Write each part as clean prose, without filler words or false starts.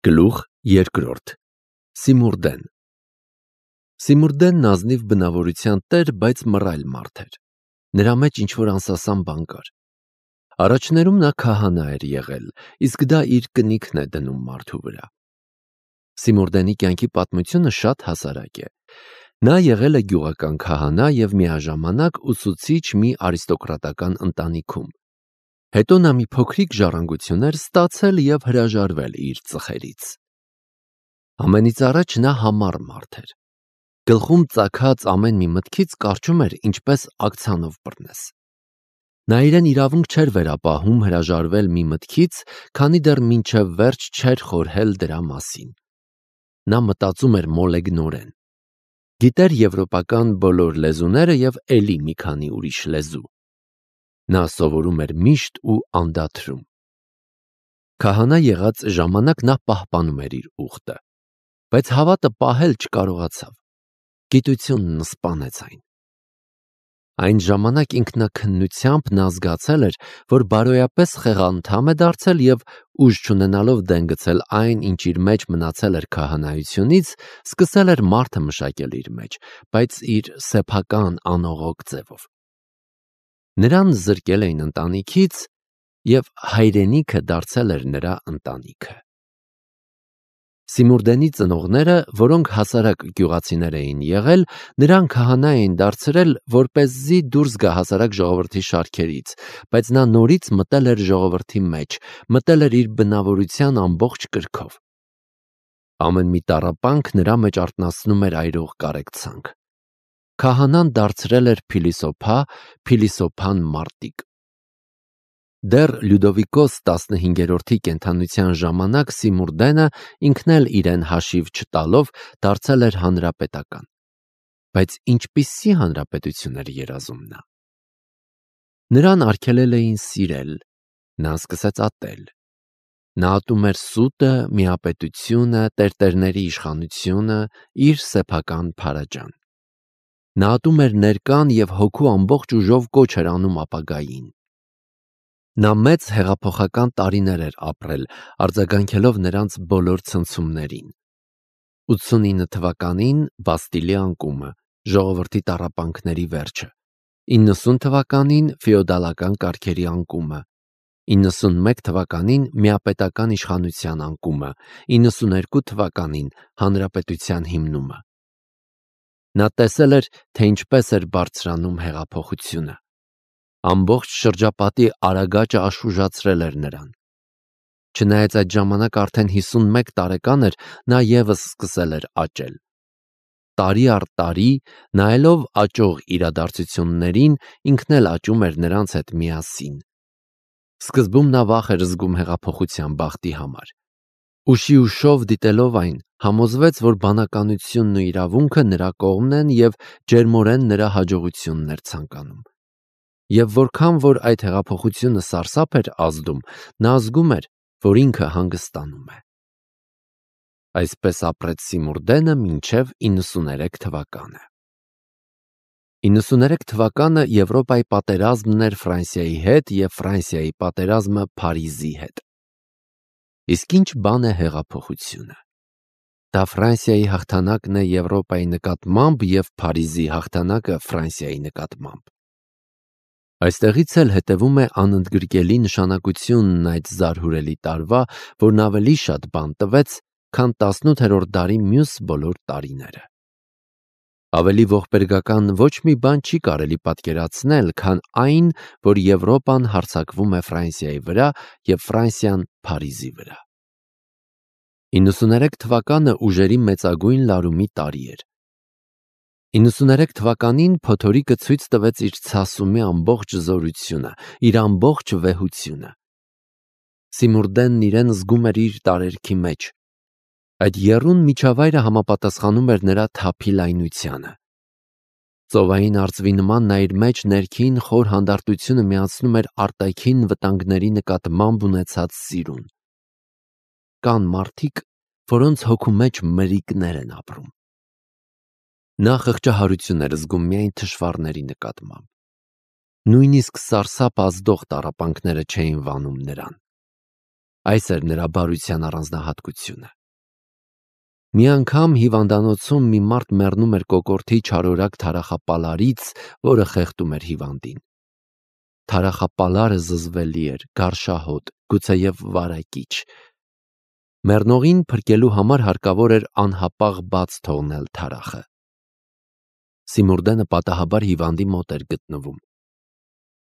Գլուխ երկրորդ Սիմուրդեն Սիմուրդենն ազնիվ բնավորության տեր, բայց մռայլ մարդ էր։ Նրա մեջ ինչ-որ անսասան բան կար։ Առաջներում նա քահանա էր եղել, իսկ դա իր կնիքն է դնում մարդու վրա։ Սիմուրդենի կյանքի պատմությունը շատ հասարակ է։ Նա եղել է գյուղական քահանա և միաժամանակ ուսուցիչ մի արիստոկրատական ընտանիքում։ Հետո նա մի փոքրիկ ժառանգություն էր ստացել և հրաժարվել իր ծխերից։ Ամենից առաջ նա համառ մարդ էր։ Գլխում ծագած ամեն մի մտքից կարճում էր ինչպես ակցիանով բռնես։ Նա իրեն իրավունք չէր վերապահում հրաժարվել մի մտքից, քանի դեռ մինչև վերջ չէր խորհել դրա մասին։ Նա մտածում էր մոլեգնորեն։ Գիտեր եվրոպական բոլոր լեզուները և էլի մի քանի ուրիշ լեզու։ Նա սովորում էր միշտ ու անդադրում։ Քահանա եղած ժամանակ նա պահպանում էր իր ուխտը, բայց հավատը պահել չկարողացավ։ Գիտությունն սպանեց այն։ Այն ժամանակ ինքնաքննությամբ նա զգացել էր, որ բարոյապես խեղանդամ է դարձել և ուժ չունենալով դեն գցել այն, ինչ իր մեջ մնացել էր քահանայությունից, սկսել էր մարդը մշակել իր մեջ, բայց իր սեփական անողոք ձևով։ Նրան զրկել էին ընտանիքից, և հայրենիքը դարձել էր նրա ընտանիքը։ Սիմուրդենի ծնողները, որոնք հասարակ գյուղացիներ էին եղել, նրան քահանա էին դարձրել, որպեսզի դուրս գա հասարակ ժողովրդի շարքերից, բայց նա նորից մտել էր ժողովրդի մեջ, մտել էր իր բնավորության ամբողջ կրքով։ Ամեն մի տառապանք նրա մեջ արթնացնում էր այրող կարեկցանք։ Քահանան դարձրել էր փիլիսոփա, փիլիսոփան մարտիկ։ Դեռ Լյուդովիկոս 15-րդի կենդանության ժամանակ Սիմուրդենը ինքն էլ իրեն հաշիվ չտալով դարձել էր հանրապետական։ Բայց ինչպիսի հանրապետություն էր երազում նա։ Նրան արգելել էին սիրել, նա սկսեց ատել։ Նա ատում էր սուտը, միապետությունը, տերտերների իշխանությունը, իր սեփական փարաջան։ Նա ատում էր ներկան և հոգու ամբողջ ուժով կոչ էր անում ապագային։ Նա մեծ հեղափոխական տարիներ էր ապրել, արձագանքելով նրանց բոլոր ցնցումներին։ 89 թվականին Բաստիլի անկումը, ժողովրդի տառապանքների վերջը, 90 թվականին ֆեոդալական կարգերի անկումը, 91 թվականին միապետական իշխանության անկումը, 92 թվականին հանրապետության հիմնումը։ Նա տեսել էր, թե ինչպես էր բարձրանում հեղափոխությունը։ Ամբողջ շրջապատի արագաճը աշխուժացրել էր նրան։ Չնայած այդ ժամանակ արդեն 51 տարեկան էր, նա ևս սկսել էր աճել։ Տարի առ տարի, նայելով աճող իրադարձություններին, ինքն էլ աճում էր նրանց հետ միասին։ Սկզբում նա վախ էր զգում հեղափոխության բախտի համար։ Ուշի ուշով դիտելով այն, համոզվեց, որ բանականությունն ու իրավունքը նրա կողմն են և ջերմորեն նրա հաջողությունն էր ցանկանում։ Եվ որքան որ այդ հեղափոխությունը սարսափ էր ազդում, նա զգում էր, որ ինքը հանգստանում է։ Այսպես ապրեց Սիմուրդենը մինչև 93 թվականը։ 93 թվականը Եվրոպայի պատերազմն էր Ֆրանսիայի հետ և Ֆրանսիայի պատերազմը Փարիզի հետ։ Իսկ ինչ բան է հեղափոխությունը։ Դա Ֆրանսիայի հաղթանակն է Եվրոպայի նկատմամբ և Փարիզի հաղթանակը Ֆրանսիայի նկատմամբ։ Այստեղից էլ հետևում է անընդգրկելի նշանակությունն այդ զարհուրելի տարվա, որն ավելի շատ բան տվեց, քան 18-րդ դարի մյուս բոլոր տարիները։ Ավելի ողբերգական ոչ մի բան չի կարելի պատկերացնել, քան այն, որ Եվրոպան հարձակվում է Ֆրանսիայի վրա և Ֆրանսիան Փարիզի վրա։ 93 թվականը ուժերի մեծագույն լարումի տարի էր։ 93 թվականին փոթորիկը ցույց տվեց իր ցասումի ամբողջ զորությունը, իր ամբողջ վեհությունը։ Սիմուրդենն իրեն զգում էր իր տարերքի մեջ։ Այդ եռուն միջավայրը համապատասխանում էր նրա թափի լայնությանը։ Ծովային արծվի նման նա իր մեջ ներքին խոր հանդարտությունը միացնում էր արտաքին վտանգների նկատմամբ ունեցած սիրուն։ Կան մարդիկ, որոնց հոգու մեջ մրրիկներ են ապրում։ Նա խղճահարություն էր զգում միայն թշվառների նկատմամբ։ Նույնիսկ սարսափ ազդող տառապանքները չէին վանում նրան։ Այս էր նրա բարության առանձնահատկությունը։ Մի անգամ հիվանդանոցում մի մարդ մեռնում էր կոկորդի չարորակ թարախապալարից, որը խեղդում էր հիվանդին։ Թարախապալարը զզվելի էր, գարշահոտ, գուցեև վարակիչ։ Մեռնողին փրկելու համար հարկավոր էր անհապաղ բաց թողնել թարախը։ Սիմուրդենը պատահաբար հիվանդի մոտ էր գտնվում։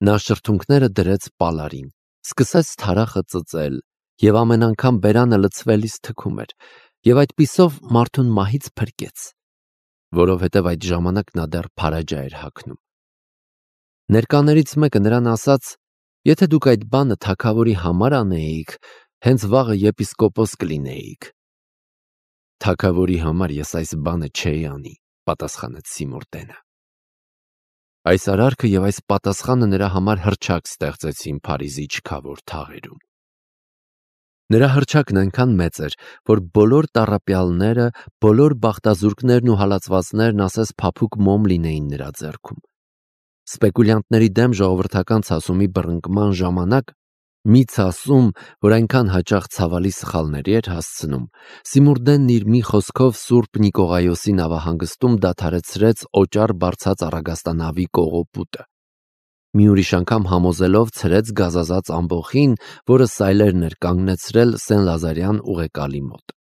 Նա շրթունքները դրեց պալարին, սկսեց թարախը ծծել, և ամեն անգամ բերանը լցվելիս թքում էր, և այդպիսով մարդուն մահից փրկեց, որովհետև այդ ժամանակ նա դեռ փարաջա էր հագնում։ Ներկաներից մեկը նրան ասաց. «Եթե դուք այդ բանը թագավորի համար անեիք, հենց վաղը եպիսկոպոս կլինեիք»։ «Թագավորի համար ես այս բանը չէի անի», պատասխանեց Սիմուրդենը։ Այս արարքը և այս պատասխանը նրա համար հռչակ ստեղծեցին Փարիզի չքավոր թաղերում։ Նրա հռչակն այնքան մեծ էր, որ բոլոր տառապյալները, բոլոր բախտազուրկներն ու հալածվածներն ասես փափուկ մոմ լինեին նրա ձեռքում։ Սպեկուլյանտների դեմ ժողովրդական ցասումի բռնկման ժամանակ, մի ցասում, որ այնքան հաճախ ցավալի սխալների էր հասցնում, Սիմուրդենն իր մի խոսքով Սուրբ Նիկողայոսի նավահանգստում դադարեցրեց օճառ բարձած առագաստանավի կողոպուտը։ Մի ուրիշ անգամ համոզելով ցրեց գազազած ամբոխին, որը սայլերն էր կանգնեցրել Սեն-Լազարյան ուղեկալի մոտ։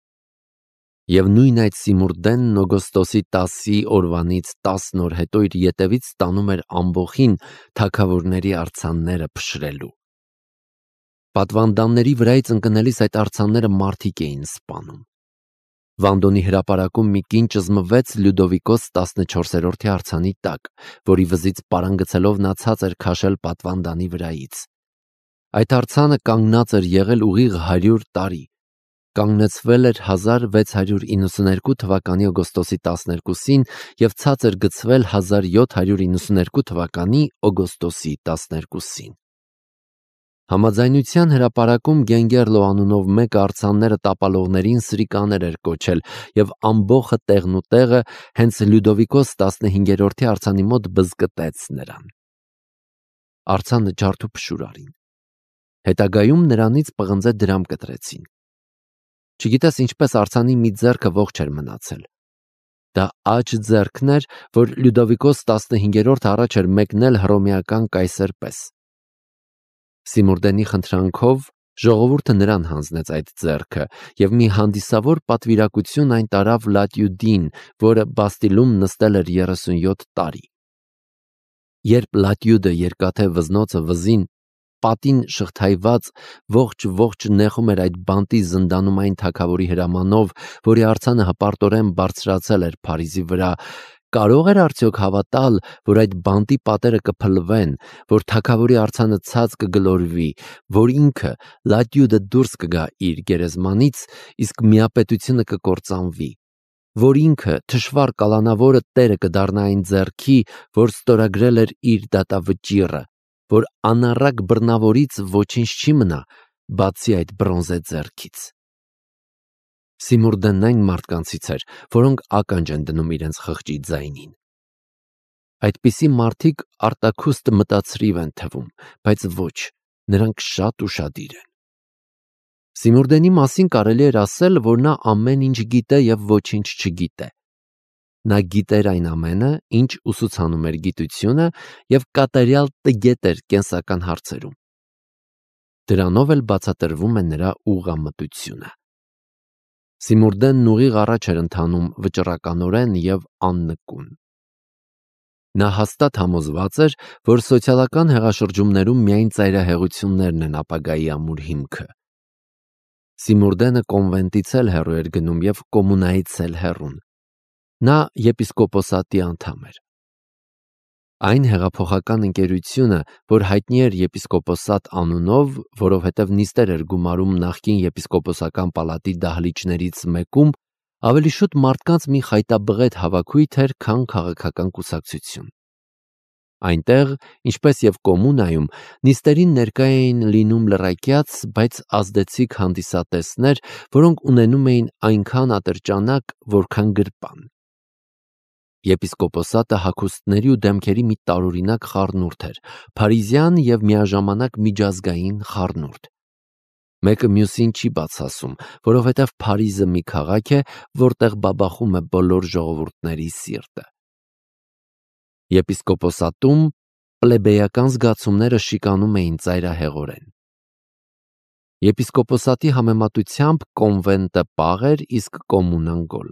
Եվ նույն այդ Սիմուրդենն օգոստոսի 10-ի օրվանից 10 օր հետո իր ետևից տանում էր ամբոխին թագավորների արձանները փշրելու։ Պատվանդանների վրայից ընկնելիս այդ արձանները մարդիկ էին սպանում։ Վանդոնի հրապարակում մի կին ճզմվեց Լյուդովիկոս 14-րդի արձանի տակ, որի վզից պարանգցելով նա ցած էր քաշել պատվանդանի վրայից։ Այդ արձանը կանգնած էր եղել ուղիղ 100 տարի, կանգնեցվել էր 1692 թվականի օգոստոսի 12-ին և ցած էր գցվել 1792 թվականի օգոստոսի 12-ին։ Համաձայնության հրապարակում Գենգերլո անունով մեկը արձանները տապալողներին սրիկաներ էր կոչել և ամբոխը տեղնուտեղը հենց Լյուդովիկոս 15-րդի արձանի մոտ բզկտեց նրան։ Արձանը ջարդուփշուր արին։ Հետագայում նրանից պղնձե դրամ կտրեցին։ Չգիտես ինչպես արձանի մի ձեռքը ողջ էր մնացել։ Դա աջ ձեռքն էր, որ Լյուդովիկոս 15-րդը առաջ էր մեկնել հռոմեական կայսեր պես։ Սիմուրդենի խնդրանքով ժողովուրդը նրան հանձնեց այդ ձեռքը, և մի հանդիսավոր պատվիրակություն այն տարավ Լատյուդին, որը Բաստիլում նստել էր 37 տարի։ Երբ Լատյուդը երկաթե վզնոցը վզին պատին շղթայված ողջ նեղում էր այդ բանտի զնդանումային թագավորի հրամանով, որի արձանը հպարտորեն բարձրացել էր Փարիզի վրա, կարող էր արդյոք հավատալ, որ այդ բանտի պատերը կփլվեն, որ թագավորի արձանը ցած կգլորվի, որ ինքը Լատյուդը դուրս կգա իր գերեզմանից, իսկ միապետությունը կկործանվի, որ ինքը թշվառ կալանավորը տերը կդառնա այն ձեռքի, որ ստորագրել էր իր դատավճիռը, որ անառակ բռնավորից ոչինչ չի մնա, բացի այդ բրոնզե ձեռքից։ Սիմուրդենն այն մարդկանցից էր, որոնք ականջ են դնում իրենց խղճի ձայնին։ Այդպիսի մարդիկ արտաքուստ մտածրիվ են թվում, բայց ոչ, նրանք շատ ուշադիր են։ Սիմուրդենի մասին կարելի էր ասել, որ նա ամեն ինչ գիտե և ոչինչ չգիտե։ Նա գիտեր այն ամենը, ինչ ուսուցանում էր գիտությունը, և կատարյալ տգետ էր կենսական հարցերում։ Դրանով էլ բացատրվում է նրա ուղղամտությունը։ Սիմուրդենն ուղիղ առաջ էր ընթանում վճռականորեն և աննկուն։ Նա հաստատ համոզված էր, որ սոցիալական հեղաշրջումներում միայն ծայրահեղություններն են ապագայի ամուր հիմքը։ Սիմուրդենը կոնվենտից էլ հեռու էր գնում և կոմունայից էլ հեռուն։ Նա եպիսկոպոսատի անդամ էր։ Այն հեղափոխական ընկերությունը, որ հայտնի էր եպիսկոպոսատ անունով, որովհետև նիստեր էր գումարում նախկին եպիսկոպոսական պալատի դահլիճներից մեկում, ավելի շուտ մարդկանց մի խայտաբղետ հավաքույթ էր, քան քաղաքական կուսակցություն։ Այնտեղ, ինչպես և կոմունայում, նիստերին ներկա էին լինում լռակյաց, բայց ազդեցիկ հանդիսատեսներ, որոնք ունենում էին այնքան ատրճանակ, որքան գրպան։ Եպիսկոպոսատը հագուստների ու դեմքերի մի տարօրինակ խառնուրդ էր, փարիզյան և միաժամանակ միջազգային խառնուրդ։ Մեկը մյուսին չի բացասում, որովհետև Փարիզը մի քաղաք է, որտեղ բաբախում է բոլոր ժողովուրդների սիրտը։ Եպիսկոպոսատում պլեբեյական զգացումները շիկանում էին ծայրահեղորեն։ Եպիսկոպոսատի համեմատությամբ կոնվենտը պաղ էր, իսկ կոմունան գոլ։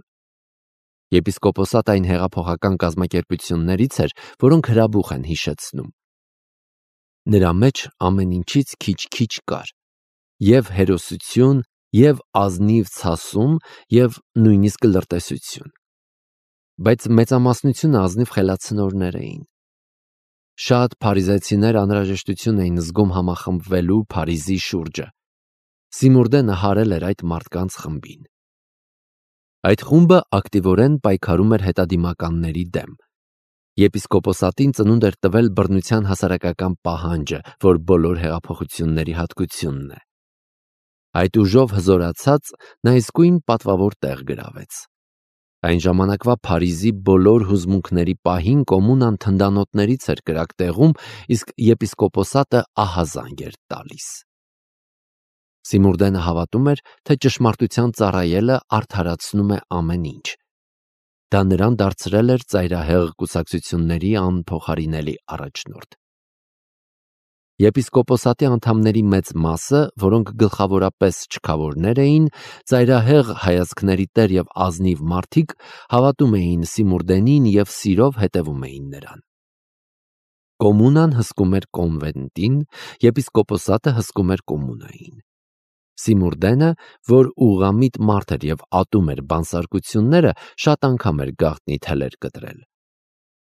Եպիսկոպոսատը այն հեղափոխական կազմակերպություններից էր, որոնք հրաբուխ են հիշեցնում։ Նրա մեջ ամեն ինչից քիչ-քիչ կար, և հերոսություն, և ազնիվ ցասում, և նույնիսկ լրտեսություն։ Բայց մեծամասնությունը ազնիվ խելացնորներ էին։ Շատ փարիզեցիներ անհրաժեշտություն էին զգում համախմբվելու Փարիզի շուրջը։ Սիմուրդենը հարել էր այդ մարդկանց խմբին։ Այդ խումբը ակտիվորեն պայքարում էր հետադիմականների դեմ։ Եպիսկոպոսատին ծնունդ էր տվել բռնության հասարակական պահանջը, որ բոլոր հեղափոխությունների հատկությունն է։ Այդ ուժով հզորացած նա իսկույն պատվավոր տեղ գրավեց։ Այն ժամանակվա Փարիզի բոլոր հուզմունքների պահին կոմունան թնդանոթներից էր կրակ տեղում, իսկ եպիսկոպոսատը ահազանգ էր տալիս։ Սիմուրդենը հավատում էր, թե ճշմարտության ծառայելը արդարացնում է ամեն ինչ։ Դա նրան դարձրել էր ծայրահեղ կուսակցությունների անփոխարինելի առաջնորդ։ Եպիսկոպոսատի անդամների մեծ մասը, որոնք գլխավորապես չքավորներ էին, ծայրահեղ հայացքների տեր և ազնիվ մարդիկ, հավատում էին Սիմուրդենին և սիրով հետևում էին նրան։ Կոմունան հսկում էր կոնվենտին, եպիսկոպոսատը հսկում էր կոմունային։ Սիմուրդենը, որ ուղղամիտ մարդ էր և ատում էր բանսարկությունները, շատ անգամ էր գաղտնի թելեր կտրել։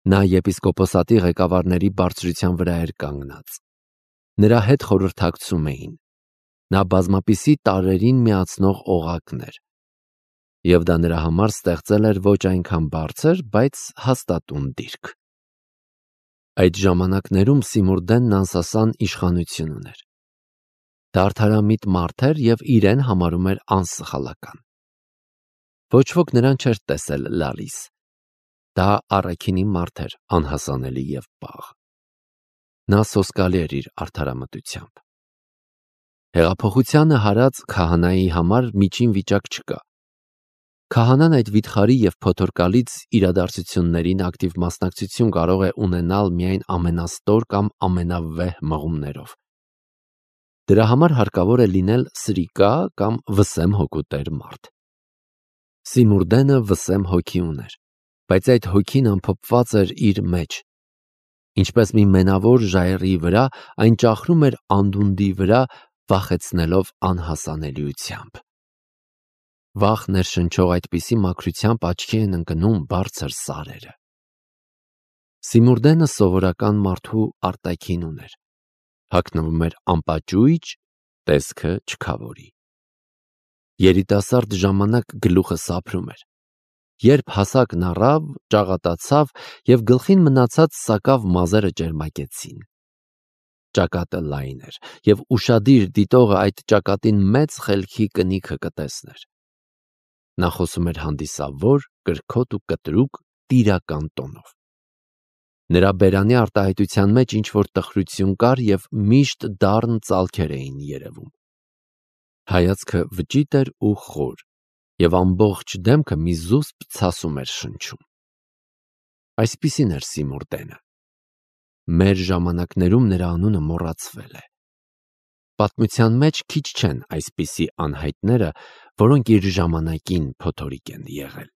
Նա եպիսկոպոսատի ղեկավարների բարձրության վրա էր կանգնած։ Նրա հետ խորհրդակցում էին։ Նա բազմապիսի տարրերին միացնող օղակն էր։ Եվ դա նրա համար ստեղծել էր ոչ այնքան բարձր, բայց հաստատուն դիրք։ Այդ ժամանակներում Սիմուրդենն անսասան իշխանություն ուներ։ Դա արդարամիտ մարդ էր և իրեն համարում էր անսխալական։ Ոչ ոք նրան չէր տեսել լալիս։ Դա առաքինի մարդ էր, անհասանելի և պաղ։ Նա սոսկալի էր իր արդարամտությամբ։ Հեղափոխությանը հարած քահանայի համար միջին վիճակ չկա։ Քահանան այդ վիթխարի և փոթորկալից իրադարձություններին ակտիվ մասնակցություն կարող է ունենալ միայն ամենաստոր կամ ամենավեհ մղումներով։ Դրա համար հարկավոր է լինել սրիկա կամ վսեմ հոգու տեր մարդ։ Սիմուրդենը վսեմ հոգի ուներ, բայց այդ հոգին ամփոփված էր իր մեջ։ Ինչպես մի մենավոր ժայռի վրա, այն ճախրում էր անդունդի վրա, վախեցնելով անհասանելիությամբ։ Վախ ներշնչող այդպիսի մաքրությամբ աչքի են ընկնում բարձր սարերը։ Սիմուրդենը սովորական մարդու արտաքին ուներ։ Հագնվում էր անպաճույճ, տեսքը չքավորի։ Երիտասարդ ժամանակ գլուխը սափրում էր։ Երբ հասակն առավ, ճաղատացավ և գլխին մնացած սակավ մազերը ճերմակեցին։ Ճակատը լայն էր, և ուշադիր դիտողը այդ ճակատին մեծ խելքի կնիքը կտեսներ։ Նա խոսում էր հանդիսավոր, կրքոտ ու կտրուկ, տիրական տոնով։ Նրա բերանի արտահայտության մեջ ինչ-որ տխրություն կար և միշտ դառն ծալքեր էին երևում։ Հայացքը վճիտ էր ու խոր, և ամբողջ դեմքը մի զուսպ ցասում էր շնչում։ Այսպիսին էր Սիմուրդենը։ Մեր ժամանակներում նրա անունը մոռացվել է։ Պատմության մեջ քիչ չեն այսպիսի անհայտները, որոնք իր ժամանակին փոթորիկ են եղել։